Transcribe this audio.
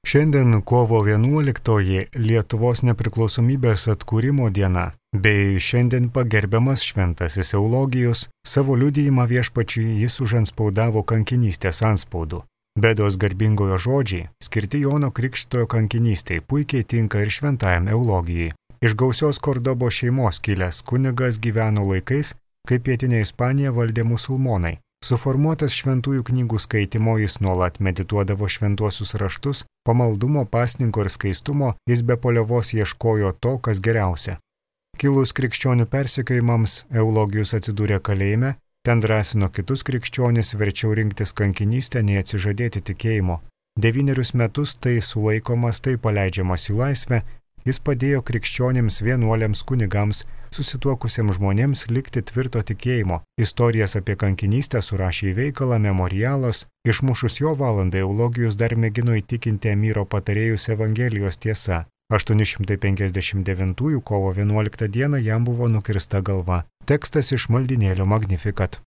Šiandien kovo 11 Lietuvos nepriklausomybės atkūrimo diena, bei šiandien pagerbiamas šventasis Eulogijus, savo liudijimą Viešpačiui jis užantspaudavo kankinystės antspaudu. Bedos garbingojo žodžiai, skirti Jono Krikštytojo kankinystei, puikiai tinka ir šventajam Eulogijui. Iš gausios Kordobo šeimos kilęs kunigas gyveno laikais, kai pietinė Ispanija valdė musulmonai. Suformuotas šventųjų knygų skaitimo jis nuolat medituodavo šventuosius raštus, pamaldumo, pasninko ir skaistumo jis be paliovos ieškojo to, kas geriausia. Kilus krikščionių persekiojimams, Eulogijus atsidūrė kalėjime, ten drąsino kitus krikščionis verčiau rinktis kankinystę, nei atsižadėti tikėjimo. 9 metus tai sulaikomas, tai paleidžiamas į laisvę, jis padėjo krikščionims, vienuoliams, kunigams, susituokusiems žmonėms likti tvirto tikėjimo. Istorijas apie kankinystę surašė į veikalą Memorialas. Išmušus jo valandą Eulogijus dar mėgino įtikinti emyro patarėjus Evangelijos tiesa. 859 kovo 11 dieną jam buvo nukirsta galva. Tekstas iš maldynėlio Magnificat.